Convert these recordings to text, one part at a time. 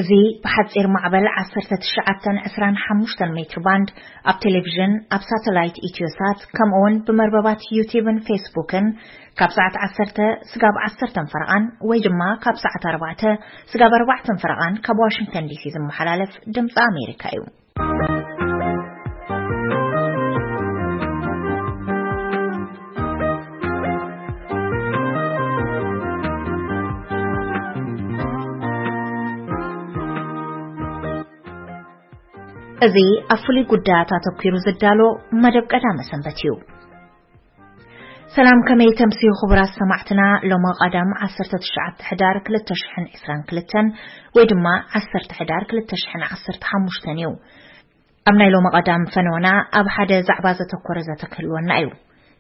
እዚ ብሓጺር ማዕበል ዓሰርተ ትሽዓተ ዕስራን ሓሙሽተን ሜትር ባንድ ኣብ ቴሌቪዥን፣ ኣብ ሳተላይት ኢትዮሳት፣ ከምኡውን ብመርበባት ዩቲዩብን ፌስቡክን ካብ ሰዓት ዓሰርተ ስጋብ ዓሰርተ ፈረቓን ወይ ድማ ካብ ሰዓት ኣርባዕተ ስጋብ ኣርባዕተ ፈረቓን ካብ ዋሽንግተን ዲሲ ዝመሓላለፍ ድምፂ ኣሜሪካ እዩ። እዚ ኣብ ፍሉይ ጉዳያት ኣተኲሩ ዝዳሎ መደብ ቀዳመ ሰንበት እዩ። ሰላም፣ ከመይ ተምስዩ ክቡራት ሰማዕትና? ሎሚ ቀዳም ዓሰርተ ትሽዓተ ሕዳር ክልተ ሽሕን ዕስራን ክልተን ወይ ድማ ዓሰርተ ሕዳር ክልተ ሽሕን ዓሰርተ ሓሙሽተን እዩ። ኣብ ናይ ሎሚ ቀዳም ፈነወና ኣብ ሓደ ዛዕባ ዘተኮረ ዘተ ክህልወና እዩ።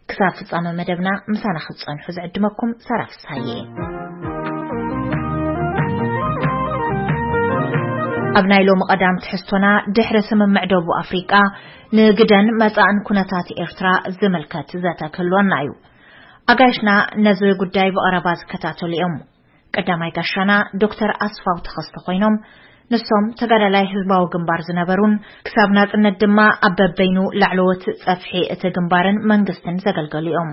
ክሳብ ፍጻመ መደብና ምሳና ክትጸንሑ ዝዕድመኩም ሳራ ፍስሃየ። ኣብ ናይ ሎሚ ቀዳም ትሕዝቶና ድሕሪ ስምምዕ ደቡብ ኣፍሪቃ ንግደን መጻእን ኩነታት ኤርትራ ዝምልከት ዘተ ክህልወና እዩ። ኣጋይሽና ነዚ ጉዳይ ብቐረባ ዝከታተሉ እዮም። ቀዳማይ ጋሻና ዶክተር ኣስፋው ተኸስተ ኮይኖም፣ ንሶም ተጋዳላይ ህዝባዊ ግንባር ዝነበሩን ክሳብ ናጽነት ድማ ኣብ በበይኑ ላዕለዎት ጸፍሒ እቲ ግንባርን መንግስትን ዘገልገሉ እዮም።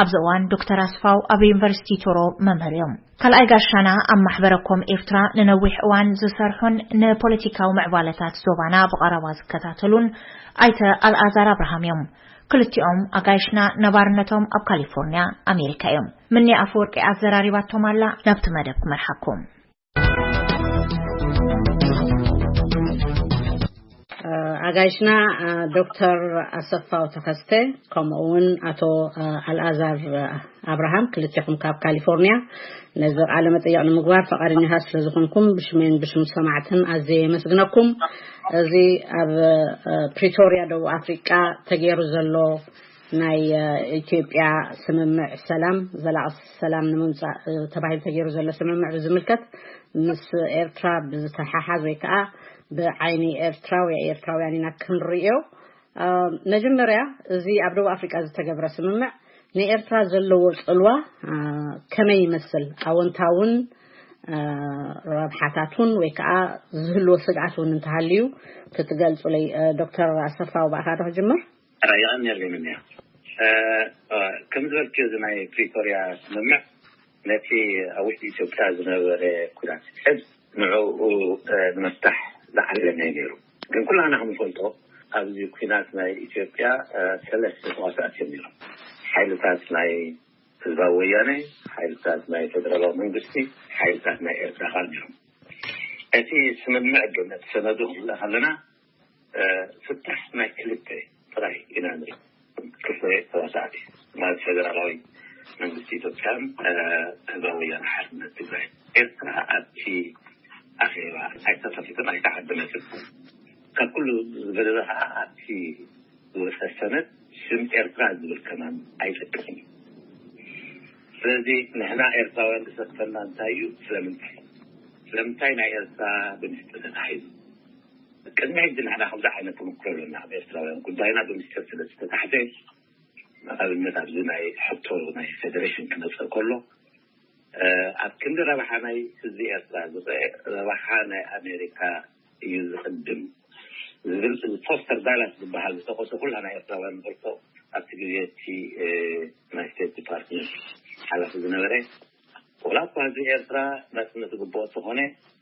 ኣብዚ እዋን ዶክተር ኣስፋው ኣብ ዩኒቨርሲቲ ቶሮ መምህር እዮም። ካልኣይ ጋሻና ኣብ ማሕበረ ኮም ኤርትራ ንነዊሕ እዋን ዝሰርሑን ንፖለቲካዊ ምዕባለታት ዞባና ብቐረባ ዝከታተሉን ኣይተ ኣልኣዛር ኣብርሃም እዮም። ክልቲኦም ኣጋይሽና ነባርነቶም ኣብ ካሊፎርኒያ ኣሜሪካ እዮም። ምኒ ኣፈወርቂ ኣዘራሪባቶም ኣላ። ናብቲ መደብ ክመርሓኩም። ኣጋይሽና ዶክተር ኣሰፋው ተኸስተ ከምኡ እውን ኣቶ ኣልኣዛር ኣብርሃም፣ ክልቲኹም ካብ ካሊፎርኒያ፣ ነዚ ቃለ መጠይቕ ንምግባር ፈቓደኛታት ስለ ዝኾንኩም ብሽሜን ብሽም ሰማዕትን ኣዝየ የመስግነኩም። እዚ ኣብ ፕሪቶርያ ደቡብ ኣፍሪቃ ተገይሩ ዘሎ ናይ ኢትዮጵያ ስምምዕ ሰላም፣ ዘላቒ ሰላም ንምምጻእ ተባሂሉ ተገይሩ ዘሎ ስምምዕ ብዝምልከት፣ ምስ ኤርትራ ብዝተሓሓዝ ወይ ከዓ ብዓይኒ ኤርትራ ወይ ኤርትራውያን ኢና ክንርእዮ። መጀመርያ፣ እዚ ኣብ ደቡብ ኣፍሪቃ ዝተገብረ ስምምዕ ንኤርትራ ዘለዎ ጽልዋ ከመይ ይመስል? ኣወንታውን ረብሓታቱን ወይ ከዓ ዝህልዎ ስግኣት እውን እንተሃልዩ ክትገልጹለይ። ዶክተር ኣሰፋው፣ ብኣኻ ዶ ክጅምር? ራእይኣ ነርገምን እያ። ከም ዝበልክዮ፣ እዚ ናይ ፕሪቶርያ ስምምዕ ነቲ ኣብ ውሽጢ ኢትዮጵያ ዝነበረ ኩናት ሕዝ ንዕኡ ንምፍታሕ ዝዓለመ እዩ ነይሩ። ግን ኩላና ከምንፈልጦ፣ ኣብዚ ኩናት ናይ ኢትዮጵያ ሰለስተ ተዋሳእቲ እዮም ነይሮም። ሓይልታት ናይ ህዝባዊ ወያነ፣ ሓይልታት ናይ ፌደራላዊ መንግስቲ፣ ሓይልታት ናይ ኤርትራ ኻል ነይሮም። እቲ ስምምዕ ግን፣ እቲ ሰነዱ ክንርኢ ከለና፣ ፍታሕ ናይ ክልተ ጥራይ ኢና ንርኢ። ክልተ ተዋሳእቲ ማለት ፌደራላዊ መንግስቲ ኢትዮጵያን ህዝባዊ ወያነ ሓርነት ትግራይ። ኤርትራ ኣብቲ ኣኼባ ኣይተሳተፈትን ኣይተዓደመትን። ካብ ኩሉ ዝበለጸ ከዓ ኣብቲ ዝወፀ ሰነድ ስም ኤርትራ ዝብል ከማን ኣይጠቅስን እዩ። ስለዚ ንሕና ኤርትራውያን ዝሰክፈና እንታይ እዩ? ስለምንታይ ስለምንታይ ናይ ኤርትራ ብምስጢር ተታሒዙ? ቅድሚ ሕጂ ንሕና ከምዚ ዓይነት ተመክሮ ኣለና። ኣብ ኤርትራውያን ጉዳይና ብምስጢር ስለ ዝተታሕዘ፣ ንኣብነት ኣብዚ ናይ ሕቶ ናይ ፌደሬሽን ክመፅእ ከሎ፣ ኣብ ክንዲ ረብሓ ናይ ህዝቢ ኤርትራ ዝረአ፣ ረብሓ ናይ ኣሜሪካ እዩ ዝቕድም ዝብል ፎስተር ዳላስ ዝበሃል ዝጠቐሶ ኩላና ኤርትራውያን ንፈልጦ። ኣብቲ ግዜ እቲ ናይ ስቴት ዲፓርትመንት ሓላፊ ዝነበረ፣ ወላ እኳ ህዝቢ ኤርትራ ናጽነት ዝግብኦ እንተኾነ፣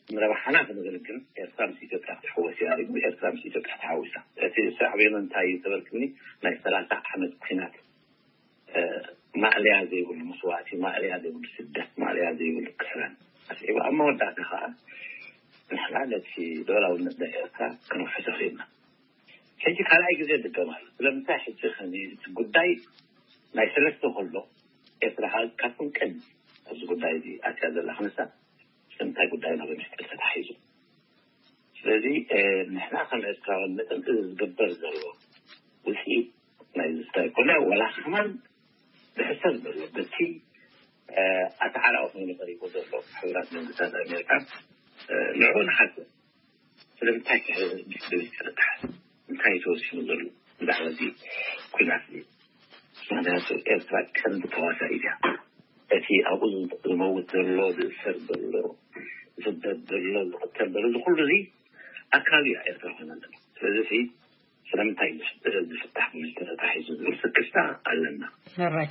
ንረብሓና ክንብል ግን ኤርትራ ምስ ኢትዮጵያ ክትሕወስ እያ ኢሉ። ኤርትራ ምስ ኢትዮጵያ ተሓዊሳ። እቲ ዘዕበየና እንታይ እዩ ተበልክኒ፣ ናይ ሰላሳ ዓመት ኲናት ማእለያ ዘይብሉ መስዋእቲ፣ ማእለያ ዘይብሉ ስደት፣ ማእለያ ዘይብሉ ክስረን ኣስዒቡ፣ ኣብ መወዳእታ ከኣ ንሕና ነቲ ልኡላውነት ናይ ኤርትራ ክንውሕሶ ክኢልና። ሕጂ ካልኣይ ግዜ ድገም ኣሎ። ስለምንታይ ሕጂ ከዚ እቲ ጉዳይ ናይ ሰለስተ ከሎ፣ ኤርትራ ከኣ ካብቶም ቀንዲ ኣብዚ ጉዳይ እዚ ኣትያ ዘላ ክንሳ፣ ስለምንታይ ጉዳይና ብምስጢር ተታሒዙ? ስለዚ ንሕና ከም ኤርትራውያን መጠን እዚ ዝግበር ዘሎ ውፅኢት ናይ ዝስታይ ኮነ ዋላ ከማን ዝሕሰብ ዘሎ በቲ ኣተዓራቂ ኮይኑ ቀሪቡ ዘሎ ሕቡራት መንግስታት ኣሜሪካ ንዕኡ ንሓስብ። ስለምንታይ ከ ብዝተረዳሓ እንታይ ተወሲኑ ዘሎ ብዛዕባ እዚ ኩናት እዚ? ምክንያቱ ኤርትራ ቀንዲ ተዋሳኢት እያ። እቲ ኣብኡ ዝመውት ዘሎ፣ ዝእሰር ዘሎ፣ ዝስደድ ዘሎ፣ ዝቕተል ዘሎ፣ እዚ ኩሉ እዚ ኣካል እዩ ኤርትራ ኮይና ኣለና። ስለዚ እዚ ስለምንታይ እዩ ዝፍታሕ ተታሒዙ ዝብል ስክፍታ ኣለና። ሕራይ።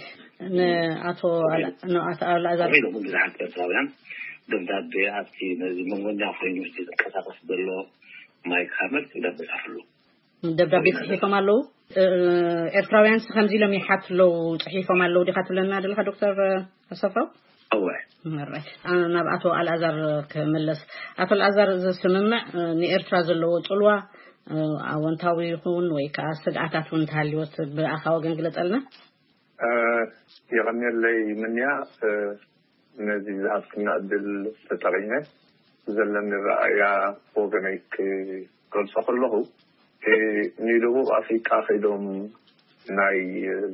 ንኣቶ ኣላ- ንኣቶ ኣልኣዛር ኢሎም ብዙሓት ኤርትራውያን ደብዳቤ ኣብቲ ነዚ መንጎኛ ኮይኑ ዝንቀሳቀስ ዘሎ ማይክ ሃመር ደብዳቤ ፃፍሉ። ደብዳቤ ጽሒፎም ኣለዉ። ኤርትራውያን ስ ከምዚ ኢሎም ይሓት ኣለዉ፣ ጽሒፎም ኣለዉ ዲኻ ትብለና ደለኻ ዶክተር ኣሰፋው? እወ። ሕራይ። ናብ ኣቶ ኣልኣዛር ክምለስ። ኣቶ ኣልኣዛር፣ እዚ ስምምዕ ንኤርትራ ዘለዎ ጽልዋ ኣወንታዊ ይኹን ወይ ከዓ ስግኣታት እውን እንተሃልዮስ ብኣኻ ወገን ግለጸልና። የቐንየለይ ምንያ። ነዚ ዝሃብክና ዕድል ተጠቒመ ዘለኒ ረኣያ ወገነይ ክገልጾ ከለኹ፣ ንደቡብ ኣፍሪቃ ከይዶም ናይ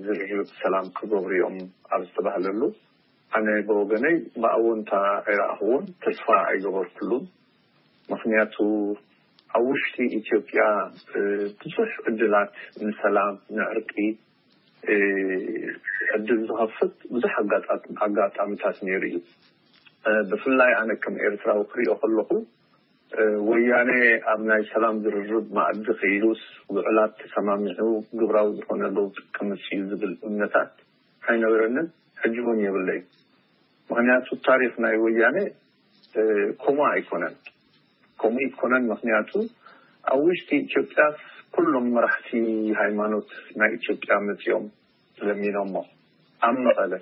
ዝርርብ ሰላም ክገብሩ እዮም ኣብ ዝተባህለሉ፣ ኣነ ብወገነይ ብኣወንታ ኣይረኣኽዎን፣ ተስፋ ኣይገበርኩሉን። ምኽንያቱ ኣብ ውሽጢ ኢትዮጵያ ብዙሕ ዕድላት ንሰላም፣ ንዕርቂ ዕድል ዝኸፍት ብዙሕ ኣጋጣሚታት ነይሩ እዩ። ብፍላይ ኣነ ከም ኤርትራዊ ክሪኦ ከለኹ፣ ወያነ ኣብ ናይ ሰላም ዝርርብ መኣዲ ከይዱስ ውዕላት ተሰማሚዑ ግብራዊ ዝኾነ ለውጢ ከምጽእ እዩ ዝብል እምነታት ኣይነበረንን፣ ሕጂ እውን የብለይ። ምኽንያቱ ታሪኽ ናይ ወያነ ከምኡ ኣይኮነን። ከምኡ ኣይኮነን፣ ምኽንያቱ ኣብ ውሽጢ ኢትዮጵያ ኩሎም መራሕቲ ሃይማኖት ናይ ኢትዮጵያ መጺኦም ለሚኖሞ ኣብ መቐለ።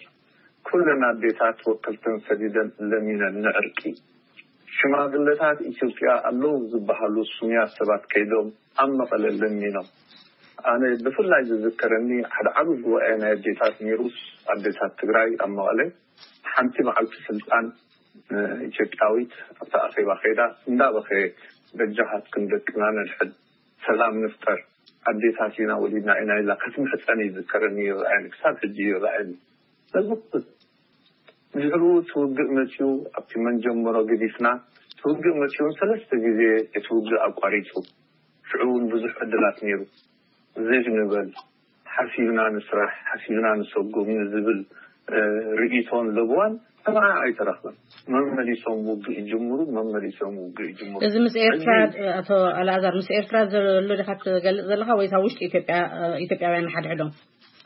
ኩለን ኣዴታት ወከልተን ሰዲደን ለሚነን ንዕርቂ። ሽማግለታት ኢትዮጵያ ኣለዉ ዝበሃሉ ስሙያት ሰባት ከይዶም ኣብ መቐለ ለሚኖም። ኣነ ብፍላይ ዝዝከረኒ ሓደ ዓቢ ጉባኤ ናይ ኣዴታት ነይሩስ፣ ኣዴታት ትግራይ ኣብ መቐለ ሓንቲ መዓልቲ ስልጣን ኢትዮጵያዊት ኣብቲ ኣኼባ ከይዳ እንዳበኸየት፣ በጃኻትክን ደቅና ነድሕን፣ ሰላም ንፍጠር፣ ኣዴታት ኢና ወሊድና ኢና ኢላ ክትምሕጸን ይዝከረኒ፣ ይረኣየኒ፣ ክሳብ ሕጂ ይረኣየኒ። ነዚ ድሕሩ እቲ ውግእ መጺኡ ኣብቲ መንጀመሮ ገዲፍና፣ እቲ ውግእ መጺኡ ሰለስተ ግዜ እቲ ውግእ ኣቋሪጹ። ሽዑ እውን ብዙሕ ዕድላት ነይሩ። ዝግ ንበል፣ ሓሲብና ንስራሕ፣ ሓሲብና ንሰጉም ንዝብል ርእይቶን ለብዋን ሰማዒ ኣይተረኽበን። መመሊሶም ውግእ ይጅምሩ፣ መመሊሶም ውግእ ይጅምሩ። እዚ ምስ ኤርትራ፣ ኣቶ ኣልኣዛር፣ ምስ ኤርትራ ዘሎ ዲኻ ትገልጽ ዘለኻ ወይስ ኣብ ውሽጢ ኢትዮጵያ፣ ኢትዮጵያውያን ሓድሕዶም?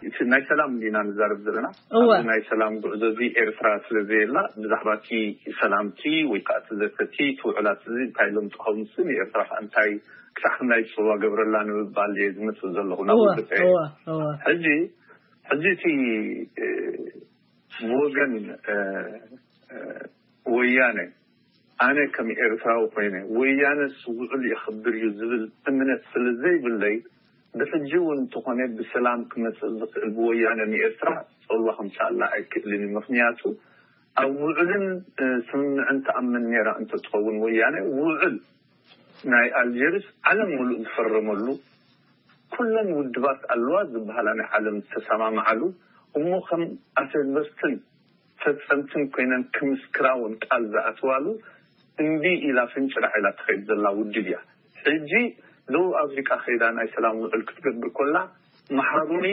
እቲ ናይ ሰላም እንዲና ንዛረብ ዘለና። እወ። ኣብዚ ናይ ሰላም ጉዕዞ እዚ ኤርትራ ስለ ዘየላ፣ ብዛዕባ እቲ ሰላምቲ ወይ ከዓ እቲ ዘተቲ እቲ ውዕላት እዚ እንታይ ኢሎም ጠቐሙሲ፣ ንኤርትራ ከዓ እንታይ ክሳዕ ክንደይ ጽዋ ገብረላ ንምባል እየ ዝመጽእ ዘለኹ ናብ እወ፣ ውግእ። እወ፣ እወ። ሕጂ፣ ሕጂ እቲ፣ እ፣ ብወገን፣ እ፣ እ፣ ወያነ ኣነ ከም ኤርትራዊ ኮይነ፣ ወያነስ ውዕል የኽብር እዩ ዝብል እምነት ስለ ዘይብለይ፣ ብሕጂ እውን እንተኾነ ብሰላም ክመጽእ ዝኽእል ብወያነ ንኤርትራ ጸልዋ ከምጽኣላ ኣይክእልን እዩ። ምኽንያቱ ኣብ ውዕልን፣ እ፣ ስምምዕን ትኣምን ነይራ እንተትኸውን ወያነ፣ ውዕል ናይ ኣልጀርስ ዓለም ሙሉእ ዝፈረመሉ፣ ኩለን ውድባት ኣለዋ ዝበሃላ ናይ ዓለም ዝተሰማምዓሉ፣ እሞ ከም ኣሰበስትን ፈጸምትን ኮይነን ክምስክራ እውን ቃል ዝኣትዋሉ እምቢ ኢላ ፍንጭራዕ ኢላ ትኸይድ ዘላ ውድብ እያ። ሕጂ ደቡብ ኣፍሪቃ ከይዳ ናይ ሰላም ውዕል ክትገብር ኮላ፣ መሓሩኒ፣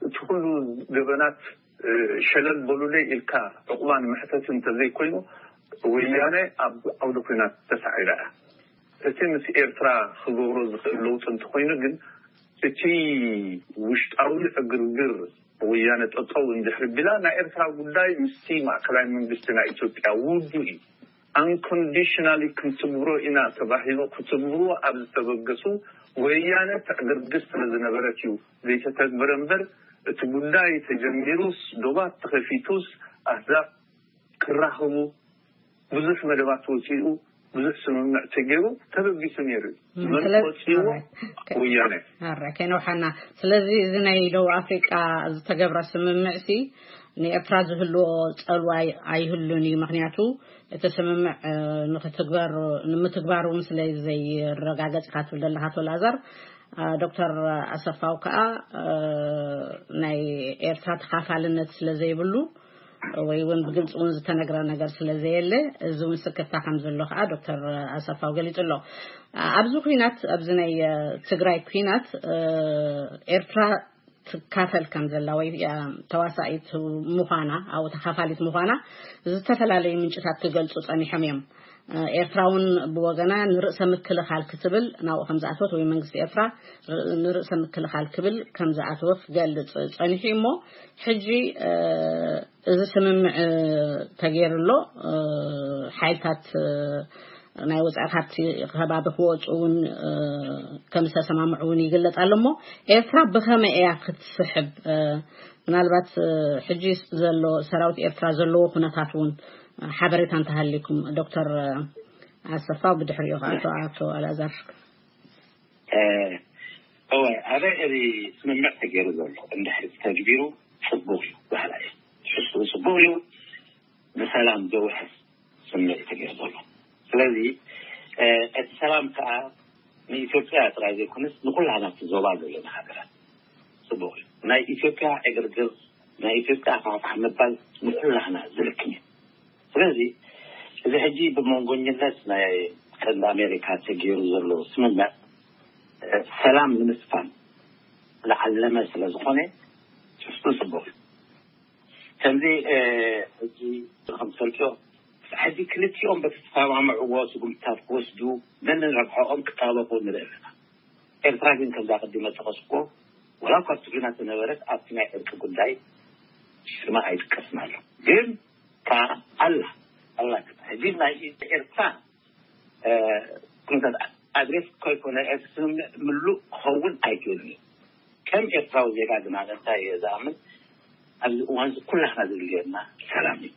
እቲ ኩሉ ገበናት፣ እ፣ ሸለል በሉለይ ኢልካ ዕቑባ ንምሕተት እንተዘይኮይኑ፣ ወያነ ኣብ ዓውደ ኲናት ተሳዒራ እያ። እቲ ምስ ኤርትራ ክገብሮ ዝኽእል ለውጢ እንተኾይኑ ግን፣ እቲ ውሽጣዊ ዕግርግር ወያነ ጠጠው እንድሕር ቢላ፣ ናይ ኤርትራ ጉዳይ ምስቲ ማእከላይ መንግስቲ ናይ ኢትዮጵያ ውዱእ እዩ። Unconditionally ክንትግብሮ ኢና ተባሂሉ ክትግብርዎ ኣብ ዝተበገሱ፣ ወያነ ተዕግርግር ስለ ዝነበረት እዩ ዘይተተግበረ እምበር፣ እቲ ጉዳይ ተጀሚሩስ፣ ዶባት ተኸፊቱስ፣ ኣህዛብ ክራኸቡ ብዙሕ መደባት ወፂኡ፣ ብዙሕ ስምምዕ ተገይሩ ተበጊሱ ነይሩ እዩ። እም፣ መን ስለ-፣ ቆፂዎ? ኦኬ። ወያነ። ኣረ፣ ከይነውሓና። ስለዚ እዚ ናይ ደቡብ ኣፍሪቃ ዝተገብረ ስምምዕ ሲ ንኤርትራ ዝህልዎ ጸልዋ ኣይ-፣ ኣይህሉን እዩ። ምኽንያቱ እቲ ስምምዕ፣ እ፣ ንኽትግበር፣ ንምትግባር እውን ስለ ዘይረጋገጽ ኢኻ ትብል ዘለኻ ኣቶ ላዛር። እ፣ ዶክተር ኣሰፋው ከኣ፣ እ፣ ናይ ኤርትራ ተኻፋልነት ስለ ዘይብሉ ወይ እውን ብግልፂ እውን ዝተነግረ ነገር ስለ ዘየለ፣ እዚ እውን ስክፍታ ከም ዘሎ ከኣ ዶክተር ኣሰፋው ገሊጹ ኣሎ። ኣብዚ ኲናት፣ ኣብዚ ናይ፣ እ፣ ትግራይ ኲናት፣ እ፣ ኤርትራ ትካፈል ከም ዘላ ወይ፣ እ፣ ተዋሳኢት ምዃና፣ ኣብኡ ተኻፋሊት ምዃና ዝተፈላለዩ ምንጭታት ክገልጹ ጸኒሖም እዮም። ኤርትራ እውን ብወገና ንርእሰ ምክልኻል ክትብል ናብኡ ከም ዝኣተወት፣ ወይ መንግስቲ ኤርትራ ንርእሰ ምክልኻል ክብል ከም ዝኣተወ ክገልጽ ጸኒሑ እዩ። እሞ ሕጂ እዚ ስምምዕ ተገይሩ ኣሎ። ሓይልታት ናይ ወጻኢ ካብቲ ከባቢ ክወጹ እውን ከም ዝተሰማምዑ እውን ይግለጽ ኣሎ። እሞ ኤርትራ ብኸመይ እያ ክትስሕብ? ምናልባት ሕጂ ዘሎ ሰራዊት ኤርትራ ዘለዎ ኩነታት እውን ሓበሬታ እንተሃሊኩም ዶክተር ኣሰፋው፣ ብድሕሪኡ ከዓ ኣቶ ኣቶ ኣልኣዛር። እወ፣ ኣበ እዚ ስምምዕ ተገይሩ ዘሎ እንድሕር ተግቢሩ ጽቡቕ እዩ ባህላ እዩ። ትሕዝትኡ ጽቡቕ እዩ። ንሰላም ዘውሕስ ስምምዕ እዩ ተገይሩ ዘሎ። ስለዚ እቲ ሰላም ከዓ ንኢትዮጵያ ጥራይ ዘይኮነስ ንኩላና እቲ ዞባ ዘለና ሃገራት ጽቡቕ እዩ። ናይ ኢትዮጵያ ዕግርግር፣ ናይ ኢትዮጵያ ፋሕፋሕ ምባል ንኩላና ዝልክም እዩ። ስለዚ እዚ ሕጂ ብመንጎኝነት ናይ ቀንዲ ኣሜሪካ ተገይሩ ዘሎ ስምምዕ ሰላም ንምስፋን ዝዓለመ ስለ ዝኾነ ትሕዝትኡ ጽቡቕ እዩ። ከምዚ ሕጂ ከም ትፈልጥዮ ሕጂ ክልቲኦም በቲ ዝተሰማምዕዎ ስጉምትታት ክወስዱ ነንረብሖኦም ክጣበቑ ንርኢ ኣለና። ኤርትራ ግን ከምዛ ቅድመ ጠቐስኩዎ ወላ እኳ ትግርና ተነበረት ኣብቲ ናይ ዕርቂ ጉዳይ ሽማ ኣይጥቀስን ኣሎ። ግን ከኣ ኣላ ኣላ ሕጂ ናይ ኤርትራ ኩነታት ኣድሬስ ከይኮነ እቲ ስምምዕ ምሉእ ክኸውን ኣይክእልን እዩ። ከም ኤርትራዊ ዜጋ ግን ኣነ እንታይ እየ ዝኣምን ኣብዚ እዋን እዚ ኩላትና ዝድልየና ሰላም እዩ።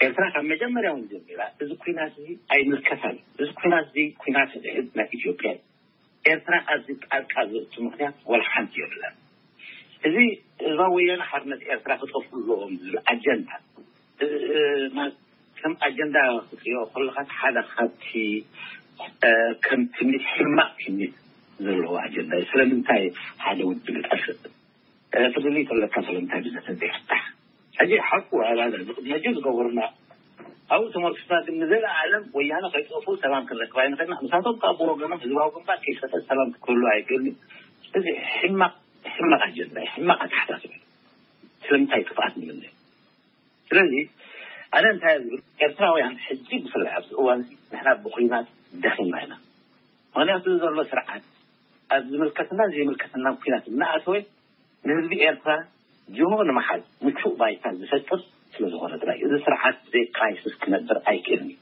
ኤርትራ ካብ መጀመርያ እውን ጀሚራ እዚ ኩናት እዚ ኣይምልከታን እዩ። እዚ ኩናት እዚ ኩናት ሕድሕድ ናይ ኢትዮጵያ እዩ። ኤርትራ ኣብዚ ጣልቃ ዘእቱ ምክንያት ወላ ሓንቲ የብላን። እዚ ህዝባዊ ወያነ ሓርነት ኤርትራ ክጠፍኡ ኣለዎም ዝብል ኣጀንዳ ከም ኣጀንዳ ክትሪኦ ከለካ ሓደ ካብቲ ከም ትምኒት ሕማቅ ትምኒት ዘለዎ ኣጀንዳ እዩ። ስለምንታይ ሓደ ውድብ ይጠፍእ? ፍልልይ ተለካ ስለምንታይ ብዘተ ዘይፍታሕ? ሕጂ ሓቁ ኣባዳ መጀ ዝገበሩና ኣብኡ ተመርክስና ግን ንዘለኣለም ወያነ ከይጠፉ ሰላም ክንረክብ ኣይንኽእልና። ምሳቶም ካብ ብወገኖም ህዝባዊ ግንባር ከይሰተ ሰላም ክህሉ ኣይክእልን። እዚ ሕማቅ ሕማቅ ኣጀንዳ እዩ፣ ሕማቅ ኣተሓሳስባ እዩ። ስለምንታይ ጥፍኣት ንምነ? ስለዚ ኣነ እንታይ ዝብል ኤርትራውያን ሕጂ ብፍላይ ኣብዚ እዋን እዚ ንሕና ብኩናት ደኺምና ኢና። ምክንያቱ ዘሎ ስርዓት ኣብ ዝምልከትና ዘይምልከትና ኩናት እናኣተወ ንህዝቢ ኤርትራ ጅሆ ንምሓዝ ምቹእ ባይታ ዝፈጥር ስለ ዝኾነ ጥራይ እዚ ስርዓት ብዘይ ክራይሲስ ክነብር ኣይክእልን እዩ።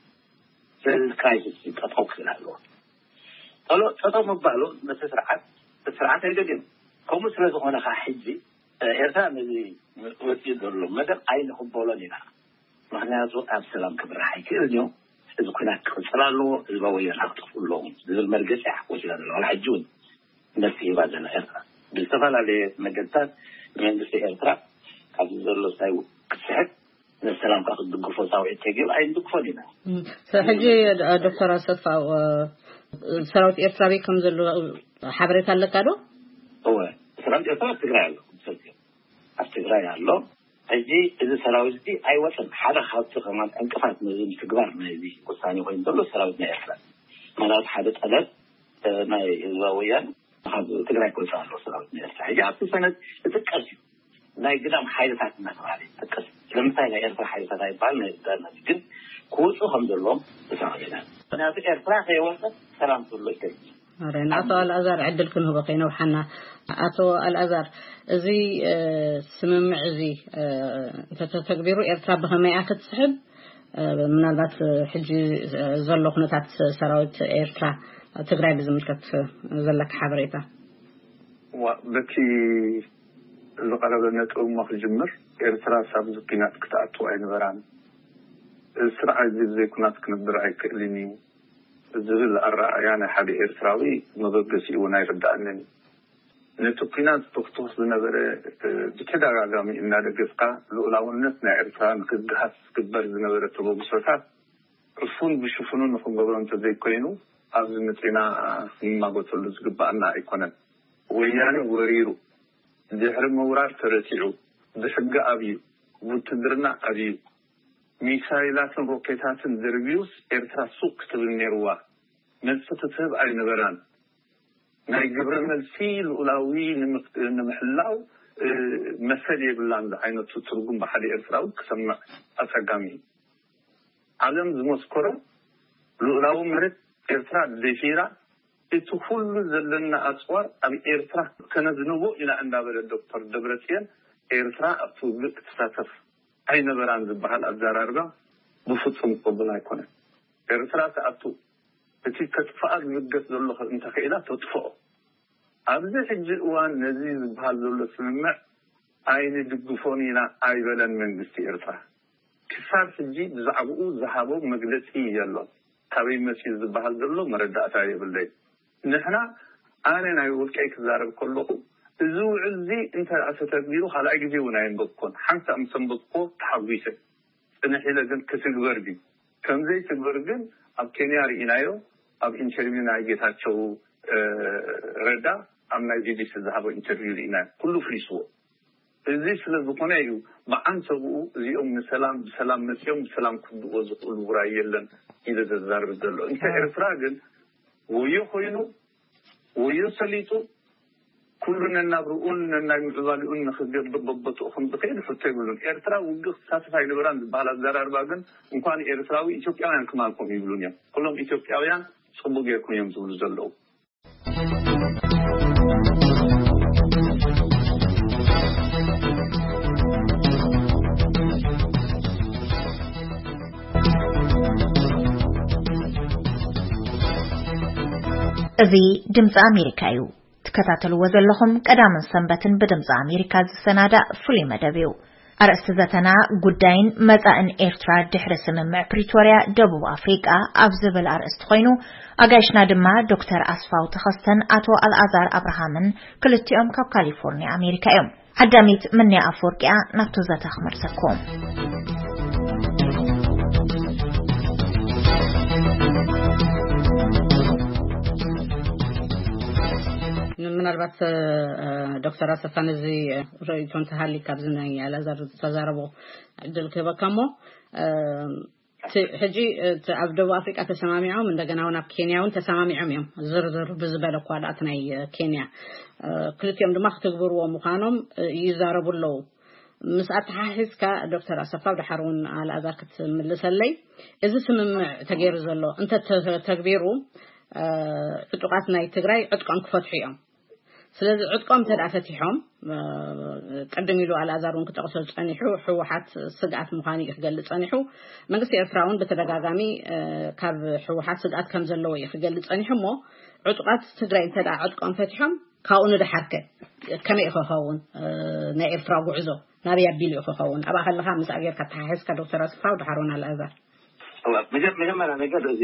ስለዚ ክራይሲስ ጠጠው ክብል ኣለዎ። ጠሎ ጠጠው ምባሉ ነቲ ስርዓት እቲ ስርዓት ኣይደልዮም። ከምኡ ስለ ዝኾነ ከዓ ሕጂ ኤርትራ ነዚ ወፂኡ ዘሎ መደብ ኣይንቕበሎን ኢና። ምክንያቱ ኣብ ሰላም ክምራሕ ኣይክእልን እዩ። እዚ ኩናት ክቕፅል ኣለዎ፣ ህዝባዊ ወያነ ክጠፍኡ ኣለዎም ዝብል መርገፂ እያ ወሲዳ ዘላ። ዋላ ሕጂ እውን መልሲ ሂባ ዘላ ኤርትራ ብዝተፈላለየ መገድታት ንመንግስቲ ኤርትራ ካብዚ ዘሎ ሳይ ክትስሕብ ነሰላም ካብ ክትድግፎ ፃውዒት ተገይሩ ኣይንድግፎን ኢና። ሕጂ ዶክተር ኣሰፋው ሰራዊት ኤርትራ ቤት ከም ዘሎ ሓበሬታ ኣለካ ዶ? እወ፣ ሰራዊት ኤርትራ ኣብ ትግራይ ኣሎ። ኣብ ትግራይ ኣሎ። ሕጂ እዚ ሰራዊት እዚ ኣይወፅን። ሓደ ካብቲ ከማን ዕንቅፋት ነዚ ምትግባር ናይዚ ውሳኔ ኮይኑ ዘሎ ሰራዊት ናይ ኤርትራ ማለት ሓደ ጠለብ ናይ ህዝባዊ ወያነ ካብ ትግራይ ክወፅእ ኣለዎ ሰራዊት ናይ ኤርትራ። ሕጂ ኣብቲ ሰነድ ዝጥቀስ እዩ። ናይ ግዳም ሓይልታት እናተባሃለ ይጥቀስ። ስለምንታይ ናይ ኤርትራ ሓይልታት ኣይበሃል ናይ ግዳም ግን ክወፁ ከም ዘለዎም ተሰማሚዕና። ምክንያቱ ኤርትራ ከይወፀት ሰላም ክህሉ ይክእል። ኣረ ንኣቶ ኣልኣዛር ዕድል ክንህቦ ከይነውሓና። ኣቶ ኣልኣዛር፣ እዚ ስምምዕ እዚ እንተተተግቢሩ ኤርትራ ብኸመይ እያ ክትስሕብ? ምናልባት ሕጂ ዘሎ ኩነታት ሰራዊት ኤርትራ ትግራይ ብዝምልከት ዘለካ ሓበሬታ። በቲ ዝቐረበ ነጥብ እሞ ክጅምር፣ ኤርትራ ሳብ ዝኲናት ክትኣቱ ኣይነበራን። እዚ ስርዓት እዚ ብዘይ ኩናት ክነብር ኣይክእልን እዩ ዝብል ኣረኣእያ ናይ ሓደ ኤርትራዊ መበገሲኡ እውን ኣይርዳእንን እዩ። ነቲ ኲናት ዝተኽትኹስ ዝነበረ ብተደጋጋሚ እናደገፍካ ልኡላውነት ናይ ኤርትራ ንክግሃስ ዝግበር ዝነበረ ተበግሶታት ዕፉን ብሽፉኑ ንክንገብሮ እንተዘይኮይኑ ኣብዚ መፂና ክንማጎተሉ ዝግባኣና ኣይኮነን። ወያነ ወሪሩ ድሕሪ ምውራር ተረቲዑ ብሕጊ ኣብዩ ብውትድርና ኣብዩ ሚሳይላትን ሮኬታትን ደርብዩስ ኤርትራ ሱቅ ክትብል ነይርዋ። መልሲ ክትህብ ኣይነበራን። ናይ ግብረ መልሲ ልኡላዊ ንምሕላው መሰል የብላን ዝዓይነቱ ትርጉም ብሓደ ኤርትራዊ ክሰምዕ ኣጸጋሚ እዩ። ዓለም ዝመስከሮ ልኡላዊ መሬት ኤርትራ ደፊራ፣ እቲ ኩሉ ዘለና ኣጽዋር ኣብ ኤርትራ ከነዝንቦ ኢና እንዳበለ ዶክተር ደብረጽዮን፣ ኤርትራ ኣብቲ ውግእ ክትሳተፍ ኣይነበራን ዝበሃል ኣዘራርባ ብፍጹም ቅቡል ኣይኮነን። ኤርትራ ትኣቱ፣ እቲ ከጥፍኣ ዝብገስ ዘሎ እንተኽኢላ ተጥፍኦ። ኣብዚ ሕጂ እዋን ነዚ ዝበሃል ዘሎ ስምምዕ ኣይንድግፎን ኢና ኣይበለን መንግስቲ ኤርትራ። ክሳብ ሕጂ ብዛዕባኡ ዝሃቦ መግለጺ የሎን። ካበይ መጺኡ ዝበሃል ዘሎ መረዳእታ የብለይ። ንሕና፣ ኣነ ናይ ውልቀይ ክዛረብ ከለኹ፣ እዚ ውዕል እዚ እንተ ደኣ ተተግቢሩ ካልኣይ ግዜ እውን ኣየንበብኩን። ሓንሳእ ምስ ኣንበብኩዎ ተሓጒሰ። ጽንሕ ኢለ ግን ክትግበር ድዩ? ከም ዘይትግበር ግን ኣብ ኬንያ ርኢናዮ። ኣብ ኢንተርቪው ናይ ጌታቸው ረዳ ኣብ ናይ ቢቢሲ ዝሃቦ ኢንተርቪው ርኢናዮ። ኩሉ ፍሊስዎ። እዚ ስለ ዝኾነ እዩ ብዓንተብኡ እዚኦም ንሰላም ብሰላም መጺኦም ብሰላም ክብድዎ ዝኽእሉ ውራይ የለን ኢለ ዘዛርብ ዘሎ። እንተ ኤርትራ ግን ወዮ ኮይኑ ወዮ ሰሊጡ ኩሉ ነናብርኡን ነናይ ምዕባሊኡን ንኽገብር በቦትኡ ከም ዝኽእል ሕቶ ይብሉን። ኤርትራ ውግእ ክትሳተፍ ኣይነበራን ዝበሃል ኣዘራርባ ግን እንኳን ኤርትራዊ ኢትዮጵያውያን ክማልኩም ይብሉን እዮም። ኩሎም ኢትዮጵያውያን ጽቡቅ ጌርኩም እዮም ዝብሉ ዘለዉ። እዚ ድምፂ ኣሜሪካ እዩ። ትከታተልዎ ዘለኹም ቀዳምን ሰንበትን ብድምፂ ኣሜሪካ ዝሰናዳእ ፍሉይ መደብ እዩ። ኣርእስቲ ዘተና ጉዳይን መጻእን ኤርትራ ድሕሪ ስምምዕ ፕሪቶርያ ደቡብ ኣፍሪቃ ኣብ ዝብል ኣርእስቲ ኮይኑ፣ ኣጋይሽና ድማ ዶክተር ኣስፋው ተኸስተን ኣቶ ኣልኣዛር ኣብርሃምን ክልቲኦም ካብ ካሊፎርኒያ ኣሜሪካ እዮም። ዓዳሚት ምንያ ኣፈወርቂያ ናብቲ ዘተ ክመርሰኩም። ምናልባት ዶክተር ኣሰፋ ነዚ ርእይቶ እንተሃሊ ካብዚ ናይ ኣልኣዛር ዝተዛረቦ ዕድል ክህበካ እሞ፣ እቲ ሕጂ እቲ ኣብ ደቡብ ኣፍሪቃ ተሰማሚዖም እንደገና እውን ኣብ ኬንያ እውን ተሰማሚዖም እዮም። ዝርዝር ብዝበለ እኳ ደኣ እቲ ናይ ኬንያ ክልቲኦም ድማ ክትግብርዎ ምዃኖም ይዛረቡ ኣለዉ። ምስ ኣተሓሒዝካ ዶክተር ኣሰፋ ድሓር እውን ኣልኣዛር ክትምልሰለይ፣ እዚ ስምምዕ ተገይሩ ዘሎ እንተ ተግቢሩ ዕጡቃት ናይ ትግራይ ዕጥቆም ክፈትሑ እዮም። ስለዚ ዕጥቆም እንተ ደኣ ፈቲሖም፣ ቅድም ኢሉ ኣልኣዛር እውን ክጠቕሶ ዝጸኒሑ ህወሓት ስግኣት ምዃኑ እዩ ክገልጽ ጸኒሑ። መንግስቲ ኤርትራ እውን ብተደጋጋሚ ካብ ህወሓት ስግኣት ከም ዘለዎ እዩ ክገልጽ ጸኒሑ። እሞ ዕጡቃት ትግራይ እንተ ደኣ ዕጥቆም ፈቲሖም ካብኡ ንደሓርከ ከመይ እዩ ክኸውን? ናይ ኤርትራ ጉዕዞ ናበይ ኣቢሉ እዩ ክኸውን? ኣብኣ ከለኻ ምስኣ ጌርካ ኣተሓሒዝካ ዶክተር ኣስፋው ድሓር እውን ኣልኣዛር። መጀመርያ ነገር እዚ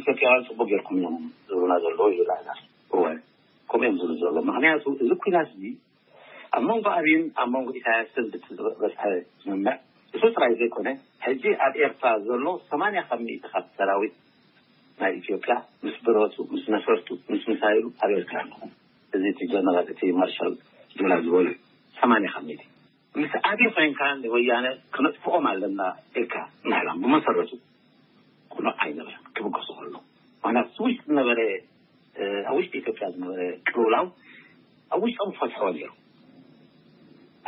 ኢትዮጵያውያን ፅቡቅ ጌርኩም እዮም ዝብሉና ዘለዉ ይብል ኣልኣዛር። እወ ከምኡ እዮም ዝብሉ ዘሎ። ምክንያቱ እዚ ኩናት እዚ ኣብ መንጎ ኣብይን ኣብ መንጎ ኢሳያስን ብቲ ዝበፅሐ ስምምዕ እሱ ጥራይ ዘይኮነ ሕጂ ኣብ ኤርትራ ዘሎ ሰማንያ ካብ ሚእቲ ካብ ሰራዊት ናይ ኢትዮጵያ ምስ ብረቱ ምስ ነፈርቱ ምስ ሚሳይሉ ኣብ ኤርትራ ኣለኹ። እዚ እቲ ጀነራል እቲ ማርሻል ዱላ ዝበሉ ሰማንያ ካብ ሚእቲ ምስ ኣብይ ኮይንካ ንወያነ ክነጥፍኦም ኣለና ኢልካ ምሕላም ብመሰረቱ ቅኑዕ ኣይነበረን፣ ክብገሱ ከሎ። ምክንያቱ እቲ ውሽጢ ዝነበረ ኣብ ውሽጢ ኢትዮጵያ ዝነበረ ቅልውላው ኣብ ውሽጦም ክፈትሕዎ ነይሩ።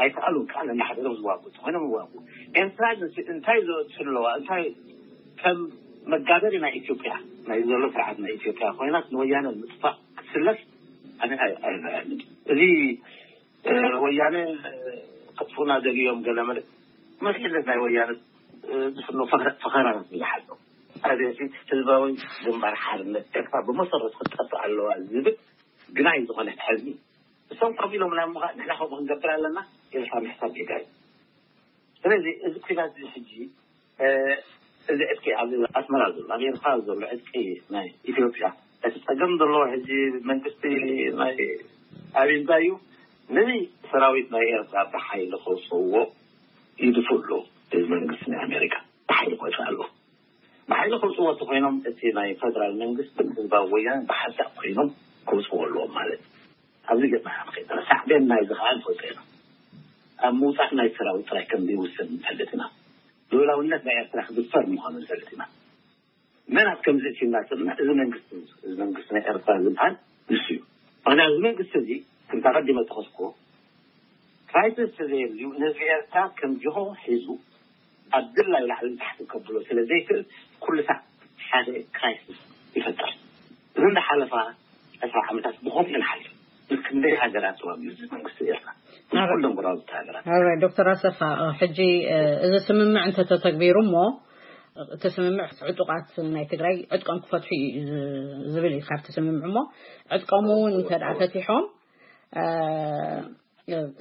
ኣይከኣሉን ከዓ ነናሓድሮም ዝዋጉ እንተኮይኖም ይዋጉ። ኤርትራ እንታይ ዘእቱ ኣለዋ? እንታይ ከም መጋበሪ ናይ ኢትዮጵያ ናይ ዘሎ ስርዓት ናይ ኢትዮጵያ ኮይናት ንወያነ ምጥፋእ ክትስለፍ ኣነ ኣይረኣየንን። እዚ ወያነ ከጥፉና ደልዮም ገለ መለ መሪሕነት ናይ ወያነ ዝፍኖ ፈኸራታት ብዙሓት ኣለዉ። ኣቤት ህዝባዊ ግንባር ሓርነት ኤርትራ ብመሰረቱ ክትጠፍእ ኣለዋ ዝብል ግናይ ዝኾነ ሕልሚ እሶም ኮፍ ኢሎም ናይ ምዃን ንሕና ከምኡ ክንገብር ኣለና ኢልካ ምሕሳብ ጌጋ እዩ። ስለዚ እዚ ኩናት እዚ ሕጂ እዚ ዕጥቂ ኣብ ኣስመራ ዘሎ ኣብ ኤርትራ ዘሎ ዕጥቂ ናይ ኢትዮጵያ እቲ ፀገም ዘለዎ ሕጂ መንግስቲ ናይ ኣብይ እንታይ እዩ ነዚ ሰራዊት ናይ ኤርትራ ብሓይሊ ከውፅእዎ ይድፉ ኣለዉ። እዚ መንግስቲ ናይ ኣሜሪካ ብሓይሊ ክወፅእ ኣለዎ። ብሓይሊ ከውፅእዎ እንተኮይኖም እቲ ናይ ፈደራል መንግስትን ህዝባዊ ወያነ ብሓንሳእ ኮይኖም ከውፅእዎ ኣለዎም ማለት እዩ። ኣብዚ ገፅና ንኸይድ ሳዕቤን ናይዚ ከዓ ንፈልጦ ኢና። ኣብ ምውፃእ ናይ ሰራዊት ጥራይ ከም ዘይውሰን ንፈልጥ ኢና። ልኡላውነት ናይ ኤርትራ ክድፈር ምዃኑ ንፈልጥ ኢና። መን ኣብ ከምዚ እቲ እናፅና እዚ መንግስቲ እዚ መንግስቲ ናይ ኤርትራ ዝበሃል ንሱ እዩ። ምክንያቱ እዚ መንግስቲ እዚ ከምታ ቀዲመ ተኸስኩዎ ክራይሲስ ተዘየልዩ ንህዝቢ ኤርትራ ከም ጅሆ ሒዙ ኣብ ድላዩ ላዕልን ታሕትን ከብሎ ስለ ዘይክእል ኩሉ ሳዕ ሓደ ክራይሲስ ይፈጥር። እዚ እንዳሓለፋ ዕስራ ዓመታት ብኸምኡ ንሓልፍ። ክንደይ ሃገራት ተዋጊኡ እዚ መንግስቲ ኤርትራ? ኩሎም ጎረባብቲ ሃገራት። ዶክተር ኣሰፋ፣ ሕጂ እዚ ስምምዕ እንተተተግቢሩ እሞ እቲ ስምምዕ ዕጡቓት ናይ ትግራይ ዕጥቆም ክፈትሑ እዩ ዝብል እዩ። ካብቲ ስምምዕ እሞ ዕጥቆም እውን እንተ ደኣ ፈቲሖም፣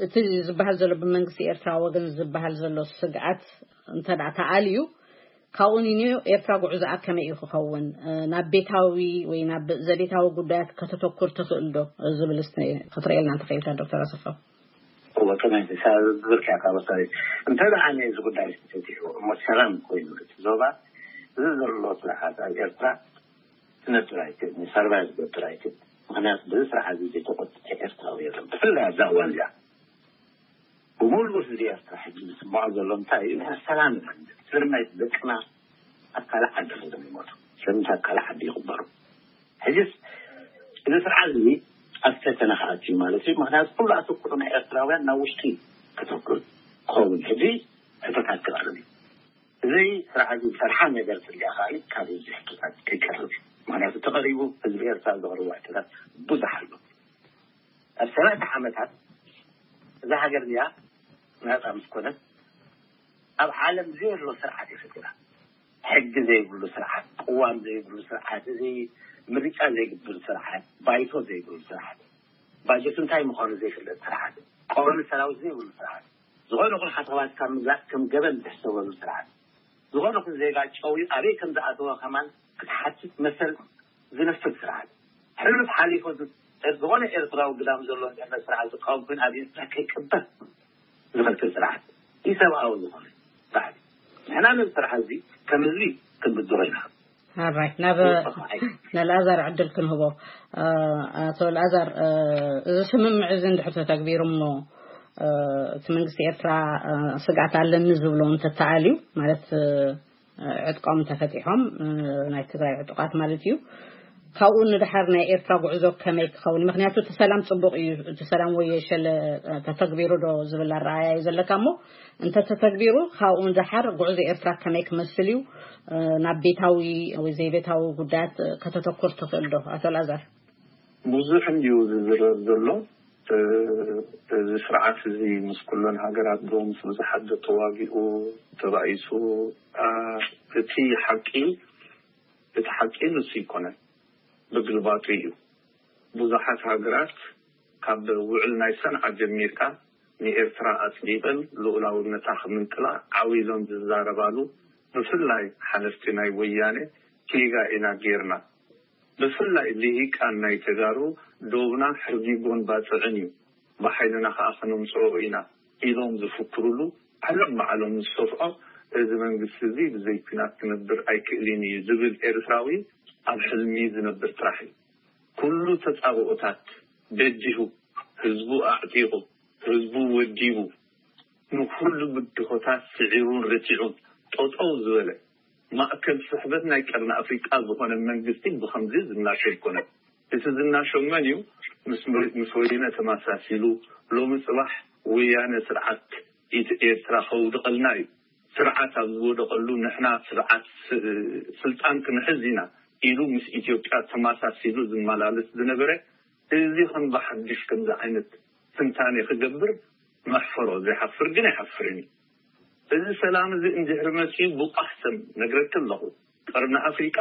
እቲ ዝበሃል ዘሎ ብመንግስቲ ኤርትራ ወገን ዝበሃል ዘሎ ስግኣት እንተ ደኣ ተኣልዩ፣ ካብኡ ንንዮ ኤርትራ ጉዕዞኣ ከመይ እዩ ክኸውን? ናብ ቤታዊ ወይ ናብ ዘቤታዊ ጉዳያት ከተተኩር ትኽእል ዶ ዝብል እስቲ ክትርእየልና እንተኽኢልካ ዶክተር ኣሰፋ። እወ፣ ከመይ ዝብል ከያ ካብ ወሳኒ እንተ ደኣ ነዚ ጉዳይ ተፈቲሑ እሞ ሰላም ኮይኑ እቲ ዞባ፣ እዚ ዘሎ ስርዓት ኣብ ኤርትራ ክነብር ኣይክእልን፣ ሰርቫይቭ ክገብር ኣይክእልን። ምክንያቱ በዚ ስርዓት እዚ ዘይተቆጥተ ኤርትራዊ የለን። ብፍላይ ኣብዛ እዋን እዚኣ ብሙሉእ ህዝቢ ኤርትራ ሕጂ ዝስምዖ ዘሎ እንታይ እዩ? ንሕና ሰላም ኢና ንደሊ። ስለምንታይ ደቅና ኣብ ካልእ ዓዲ ከይዶም ይሞቱ? ስለምንታይ ኣብ ካልእ ዓዲ ይቕበሩ? ሕጅስ እዚ ስርዓት እዚ ኣብ ፈተነ ክኣቱ እዩ ማለት እዩ። ምክንያቱ ኩሉ ኣተኩሮ ናይ ኤርትራውያን ናብ ውሽጢ ከተኩር ክኸውን ሕጂ ሕቶታት ክቐርብ እዩ። እዚ ስርዓት እዚ ዝሰርሓ ነገር ትሪኣ ከኣ ካብ ህዝቢ ሕቶታት ከይቀርብ እዩ። ምክንያቱ ተቐሪቡ ህዝቢ ኤርትራ ዘቕርቦ ሕቶታት ብዙሕ ኣሎ። ኣብ ሰላሳ ዓመታት እዛ ሃገር እዚኣ ናፃ ምስ ኮነት ኣብ ዓለም ዘየሎ ስርዓት እዩ ፈጢራ። ሕጊ ዘይብሉ ስርዓት፣ ቅዋም ዘይብሉ ስርዓት፣ እዚ ምርጫ ዘይግብር ስርዓት፣ ባይቶ ዘይብሉ ስርዓት፣ ባጀት እንታይ ምዃኑ ዘይፍለጥ ስርዓት፣ ቀዋሚ ሰራዊት ዘይብሉ ስርዓት፣ ዝኾነ ይኹን ሓተባት ካብ ምግላፅ ከም ገበን ዝሕሰበሉ ስርዓት፣ ዝኾነ ይኹን ዜጋ ጨውዩ ኣበይ ከም ዝኣተወ ከማን ክትሓትት መሰል ዝነፍግ ስርዓት፣ ሕሉፍ ሓሊፉ ዝኾነ ኤርትራዊ ግዳም ዘሎ እንድሕር ስርዓት ዝቃወም ኮይኑ ኣብ ኤርትራ ከይቅበር ዝኸልክል ስርዓት፣ ኢሰብኣዊ ዝኾነ ስርዓት። ንሕና ነዚ ስርዓት እዚ ከም ህዝቢ ክንብድሮ ኢና። ኣራይ ናብ ንኣልኣዛር ዕድል ክንህቦ። ኣቶ ኣልኣዛር፣ እዚ ስምምዕ እዚ እንድሕር ተተግቢሩ እሞ እቲ መንግስቲ ኤርትራ ስግኣት ኣለኒ ዝብሎ እንተተኣልዩ፣ ማለት ዕጥቆም ተፈቲሖም፣ ናይ ትግራይ ዕጡቓት ማለት እዩ፣ ካብኡ ንድሓር ናይ ኤርትራ ጉዕዞ ከመይ ክኸውን? ምክንያቱ እቲ ሰላም ጽቡቕ እዩ፣ እቲ ሰላም ወይ የሸለ ተተግቢሩ ዶ ዝብል ኣረኣእያ እዩ ዘለካ እሞ፣ እንተ ተተግቢሩ ካብኡ ንድሓር ጉዕዞ ኤርትራ ከመይ ክመስል እዩ? ናብ ቤታዊ ወይ ዘይቤታዊ ጉዳያት ከተተኩር ትኽእል ዶ ኣቶ ኣልኣዛር? ብዙሕ እንድዩ ዝዝረብ ዘሎ። እዚ ስርዓት እዚ ምስ ኩለን ሃገራት ዶ ምስ ብዙሓት ዶ ተዋጊኡ ተባኢሱ? እቲ ሓቂ፣ እቲ ሓቂ ንሱ ኣይኮነን፣ ብግልባጡ እዩ። ብዙሓት ሃገራት ካብ ውዕል ናይ ሰንዓ ጀሚርካ ንኤርትራ ኣጽዲቐን ልኡላውነታ ክምንጥላ ዓው ኢሎም ዝዛረባሉ፣ ብፍላይ ሓለፍቲ ናይ ወያነ ጌጋ ኢና ጌርና። ብፍላይ ልሂቃን ናይ ተጋሩ ዶብና ሕርጊጎን ባጽዕን እዩ፣ ብሓይልና ከኣ ከነምጽኦ ኢና ኢሎም ዝፍክሩሉ ዓለም ባዕሎም ዝሰፍዖ፣ እዚ መንግስቲ እዚ ብዘይ ኲናት ክነብር ኣይክእልን እዩ ዝብል ኤርትራዊ ኣብ ሕልሚ ዝነብር ጥራሕ እዩ። ኩሉ ተጻብኦታት በዲሁ፣ ህዝቡ ኣዕጢቑ፣ ህዝቡ ወዲቡ፣ ንኹሉ ብድሆታት ስዒሩን ረቲዑን ጠጠው ዝበለ ማእከል ስሕበት ናይ ቀርኒ ኣፍሪቃ ዝኾነ መንግስቲ ብኸምዚ ዝናሾ ኣይኮነን። እቲ ዝናሾ መን እዩ? ምስ ወ-፣ ምስ ወያነ ተመሳሲሉ ሎሚ ጽባሕ ወያነ ስርዓት ኢት-፣ ኤርትራ ከውድቐልና እዩ። ስርዓት ኣብ ዝወደቐሉ ንሕና ስርዓት ስ-፣ ስልጣን ክንሕዝ ኢና ኢሉ ምስ ኢትዮጵያ ተመሳሲሉ ዝመላለስ ዝነበረ፣ እዚ ከም ብሓድሽ ከምዚ ዓይነት ትንታኔ ክገብር መሕፈሮ። ዘይሓፍር ግን ኣይሓፍርን እዩ። እዚ ሰላም እዚ እንድሕሪ መጺኡ ብቋሕ ሰም ነግረኪ ኣለኹ፣ ቀርኒ ኣፍሪቃ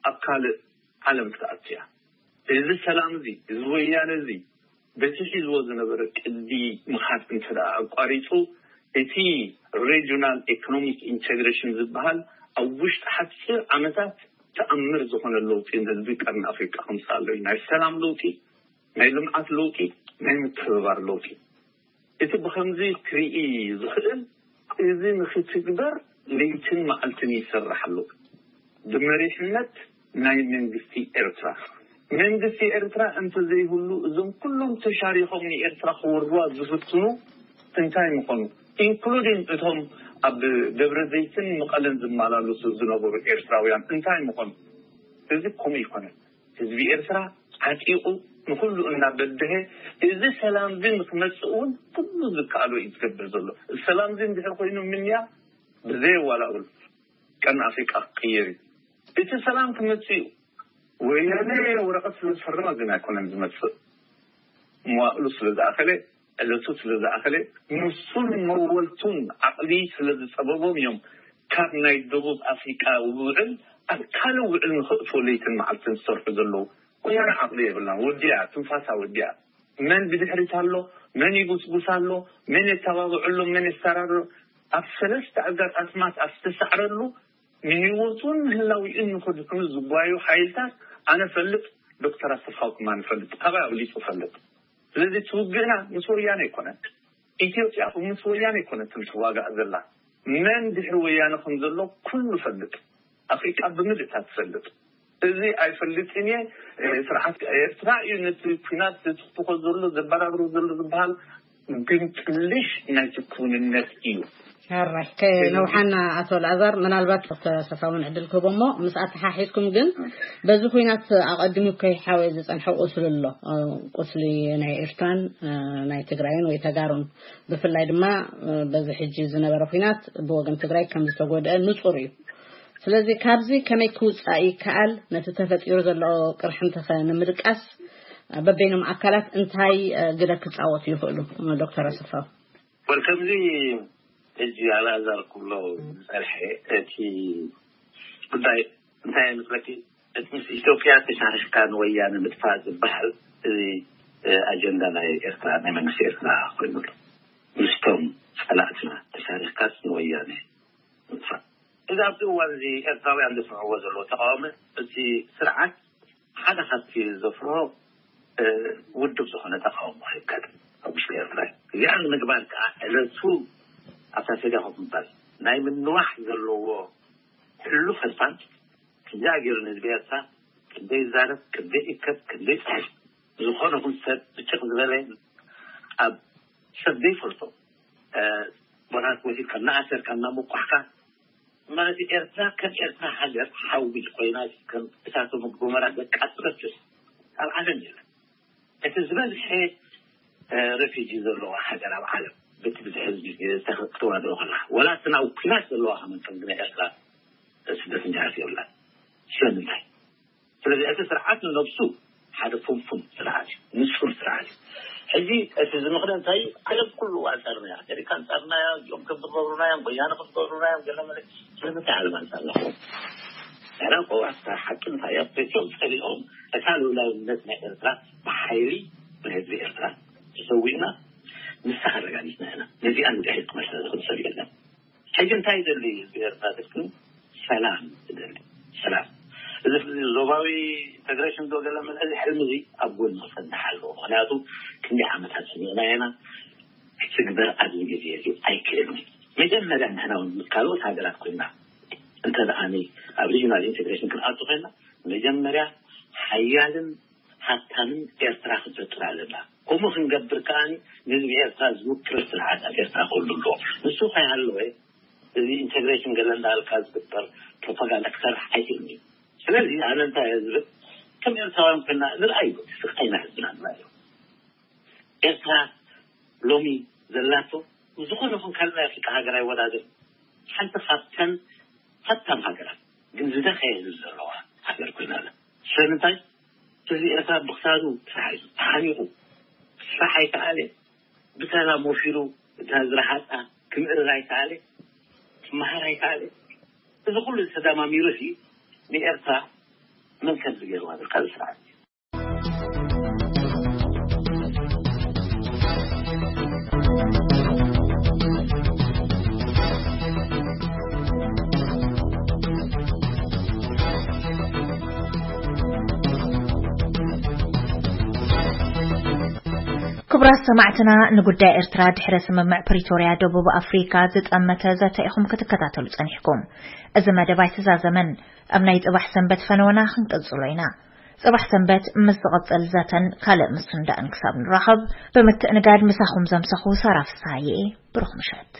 ኣብ ካልእ ዓለም ክትኣቱ እያ። እዚ ሰላም እዚ፣ እዚ ወያነ እዚ በቲ ሒዝዎ ዝነበረ ቅዲ ምኻድ እንተ ደኣ ኣቋሪጹ፣ እቲ ሬጂናል ኢኮኖሚክ ኢንቴግሬሽን ዝበሃል ኣብ ውሽጢ ሓጺር ዓመታት ተኣምር ዝኾነ ለውጢ ንህዝቢ ቀርኒ ኣፍሪቃ ከምጽእ ኣሎ እዩ። ናይ ሰላም ለውጢ፣ ናይ ልምዓት ለውጢ፣ ናይ ምትሕብባር ለውጢ። እቲ ብኸምዚ ክርኢ ዝኽእል፣ እዚ ንኽትግበር ለይትን መዓልትን ይሰርሕ ኣሎ፣ ብመሪሕነት ናይ መንግስቲ ኤርትራ። መንግስቲ ኤርትራ እንተዘይህሉ፣ እዞም ኩሎም ተሻሪኾም ንኤርትራ ክወርዋ ዝፍትኑ እንታይ ምኾኑ? ኢንክሉዲንግ እቶም ኣብ ደብረ ዘይትን መቐለን ዝመላለሱ ዝነበሩ ኤርትራውያን እንታይ ምኾኑ? እዚ ከምኡ ይኮነን። ህዝቢ ኤርትራ ዓጢቑ ንኹሉ እናበደሀ፣ እዚ ሰላም እዚ ንክመጽእ እውን ኩሉ ዝከኣሎ እዩ ዝገብር ዘሎ። እዚ ሰላም እዚ እንድሕር ኮይኑ ምንያ ብዘየዋላውል ቀርኒ ኣፍሪቃ ክቅየር እዩ። እቲ ሰላም ክመጽእ እዩ። ወያነ ወረቐት ስለ ዝፈረመ ግን ኣይኮነን ዝመጽእ። መዋእሉ ስለ ዝኣኸለ፣ ዕለቱ ስለ ዝኣኸለ፣ ንሱን መወልቱን ዓቕሊ ስለ ዝጸበቦም እዮም ካብ ናይ ደቡብ ኣፍሪቃ ውዕል ኣብ ካልእ ውዕል ንኽእትዎ ለይትን መዓልትን ዝሰርሑ ዘለዉ። ወያነ ዓቕሊ የብላን፣ ወዲኣ፣ ትንፋሳ ወዲኣ። መን ብድሕሪት ኣሎ፣ መን ይጉስጉስ ኣሎ፣ መን የተባብዐሉ፣ መን የሰራርር፣ ኣብ ሰለስተ ኣጋጣስማት ኣብ ዝተሳዕረሉ ንህይወቱን ንህላዊኡን ንኸድሕኑ ዝጓዩ ሓይልታት ኣነ ፈልጥ፣ ዶክተር ኣሰፋው ከማን ይፈልጥ፣ ካባይ ኣብሊጹ ፈልጥ። ስለዚ እቲ ውግእና ምስ ወያነ ኣይኮነን። ኢትዮጵያ ምስ ወያነ ኣይኮነትን ትዋጋእ ዘላ። መን ድሕሪ ወያነ ከም ዘሎ ኩሉ ፈልጥ። ኣፍሪቃ ብምልእታ ትፈልጥ። እዚ ኣይፈልጥን እየ። እ፣ ስርዓት ኤርትራ እዩ ነቲ ኩናት ዝትኩኾ ዘሎ፣ ዘበራብሮ ዘሎ ዝበሃል ግን ጥልሽ ናይቲ ክውንነት እዩ። ሕራይ ከነውሓና ኣቶ ልኣዛር፣ ምናልባት ዶክተር ኣሰፋ እውን ዕድል ክህቦ እሞ ምስ ኣተሓሒዝኩም ግን በዚ ኩናት ኣቐዲሙ ከይሓወየ ዝጸንሐ ቁስሊ ኣሎ። እ፣ ቁስሊ ናይ ኤርትራን፣ እ፣ ናይ ትግራይን ወይ ተጋሩን ብፍላይ ድማ፣ እ፣ በዚ ሕጂ ዝነበረ ኩናት ብወገን ትግራይ ከም ዝተጎድአ ንጹር እዩ። ስለዚ ካብዚ ከመይ ክውጻእ ይከኣል? ነቲ ተፈጢሩ ዘሎ ቅርሕንትኸ ንምድቃስ በበይኖም ኣካላት እንታይ፣ እ፣ ግደ ክጻወቱ ይኽእሉ? ዶክተር ኣሰፋው። ወል ከምዚ ሕጂ ኣልኣዛር ክብሎ ዝጸንሐ እቲ ጉዳይ እንታይ መስለኪ? እቲ ምስ ኢትዮጵያ ተሻሪኽካ ንወያነ ምጥፋእ ዝበሃል እዚ፣ እ፣ ኣጀንዳ ናይ ኤርትራ፣ ናይ መንግስቲ ኤርትራ ኮይኑ ኣሎ። ምስቶም ጸላእትና ተሻሪኽካስ ንወያነ ምጥፋእ። እዚ ኣብዚ እዋን እዚ ኤርትራውያን ዘፍርሕዎ ዘለዉ ተቃውሞ፣ እቲ ስርዓት ሓደ ካብቲ ዘፍርሆ፣ እ፣ ውድብ ዝኾነ ተቃውሞ ከይካድ ኣብ ውሽጢ ኤርትራ እዩ። እዚኣ ንምግባር ከዓ ዕለቱ ኣብታ ሰድያ ኮፍ ምባል ናይ ምንዋሕ ዘለዎ ሕሉፍ ሕልፋን ክንደይ ኣገይሩ ንህዝቢ ኤርትራ ክንደይ ይዛረብ፣ ክንደይ ይከብ፣ ክንደይ ይፅሕፍ፣ ዝኾነ ይኹን ሰብ ብጭቕ ዝበለ ኣብ ሰብ ዘይፈልጦ፣ እ፣ ቦታት ወሲድካ እናኣሰርካ እናሞቋሕካ ማለት ኤርትራ ከም ኤርትራ ሃገር ሓዊ ኮይና ከም እሳተ ጎመራ ዘቃጽለትስ ኣብ ዓለም የለን። እቲ ዝበዝሐ፣ እ፣ ሬፊጂ ዘለዋ ሃገር ኣብ ዓለም በቲ ብዝሒ ህዝቢ ዝተዋድኦ ከላ፣ ወላ እቲ ናብ ኩናት ዘለዋ ከመን ከም ናይ ኤርትራ ስደተኛታት የብላን። ስለምንታይ? ስለዚ እቲ ስርዓት ንነብሱ ሓደ ፍንፉን ስርዓት እዩ፣ ንጹር ስርዓት እዩ። ሕጂ እቲ ዝምኽነ እንታይ እዩ? ዓለም ኩሉ ኣንጻርና እያ። ኣሜሪካ ኣንጻርና እያ፣ እዚኦም ከም ዝገብሩና እዮም፣ ወያነ ከም ዝገብሩና እዮም፣ ገለ መለ። ስለምንታይ ዓለም ኣንጻርና ይኸውን? ንሕና እኮ ኣብታ ሓቂ እንታይ እያ? ቤትዮም ጸሊኦም እታ ልኡላውነት ናይ ኤርትራ ብሓይሊ ብህዝቢ ኤርትራ ተሰዊእና ንሳ ኣረጋጊጽና ኢና። ነዚኣ ንድሕሪት ክመልሳ ዝኽእል ሰብ የለን። ሕጂ እንታይ ይደሊ ህዝቢ ኤርትራ ትልክም? ሰላም ይደሊ። ሰላም። እዚ ዞባዊ ኢንተግሬሽን ዶ ገለ መለ፣ እዚ ሕልሚ እዚ ኣብ ጎኒ ክፈንድሕ ኣለዎ። ምኽንያቱ ክንደይ ዓመታት ሰሚዕና ኢና፣ ክትግበር ኣብዚ ግዜ እዚ ኣይክእልን እዩ። መጀመርያ ንሕና እውን ምስ ካልኦት ሃገራት ኮይና እንተ ደኣ ኣብ ሪጅናል ኢንተግሬሽን ክንኣቱ ኮይና መጀመርያ ሓያልን ሃብታምን ኤርትራ ክትፈጥር ኣለና። ከምኡ ክንገብር ከኣ ንህዝቢ ኤርትራ ዝውክል ስርዓት ኣብ ኤርትራ ክህሉ ኣለዎ። ንሱ ከይሃለወ እዚ ኢንተግሬሽን ገለ እንዳበልካ ዝግበር ፕሮፓጋንዳ ክሰርሕ ኣይክእልን እዩ። ስለዚ ኣነ እንታይ እየ ዝብል፣ ከም ኤርትራውያን ኮይና ንርኣዩ፣ ስቃይና ህዝብና ንርኣዩ። ኤርትራ ሎሚ ዘላቶ ዝኾነ ይኹን ካልእ ናይ ኣፍሪቃ ሃገር ኣይወዳደርን። ሓንቲ ካብተን ሃብታም ሃገራት ግን ዝደኸየ ህዝቢ ዘለዋ ሃገር ኮይና ኣላ። ስለምንታይ? ህዝቢ ኤርትራ ብክሳዱ ተታሒዙ፣ ተሓኒቑ፣ ክስራሕ ኣይከኣለ፣ ብሰላም ወፊሩ እታ ዝረሃጻ ክምእርር ኣይከኣለ፣ ክመሃር ኣይከኣለ። እዚ ኩሉ ተደማሚሩ ሲ ንኤርትራ መን ከም ዝገይርዋ ዝካል ስርዓት እዩ። ክቡራት ሰማዕትና፣ ንጉዳይ ኤርትራ ድሕረ ስምምዕ ፕሪቶርያ ደቡብ ኣፍሪካ ዝጠመተ ዘተ ኢኹም ክትከታተሉ ጸኒሕኩም። እዚ መደብ ኣይተዛዘመን። ኣብ ናይ ጽባሕ ሰንበት ፈነወና ክንቅጽሎ ኢና። ጽባሕ ሰንበት ምስ ዝቕጽል ዘተን ካልእ ምስንዳእን ክሳብ ንራኸብ፣ ብምትእንጋድ ምሳኹም ዘምሰኹ ሳራ ፍስሃየ። ብሩኽ ምሸት።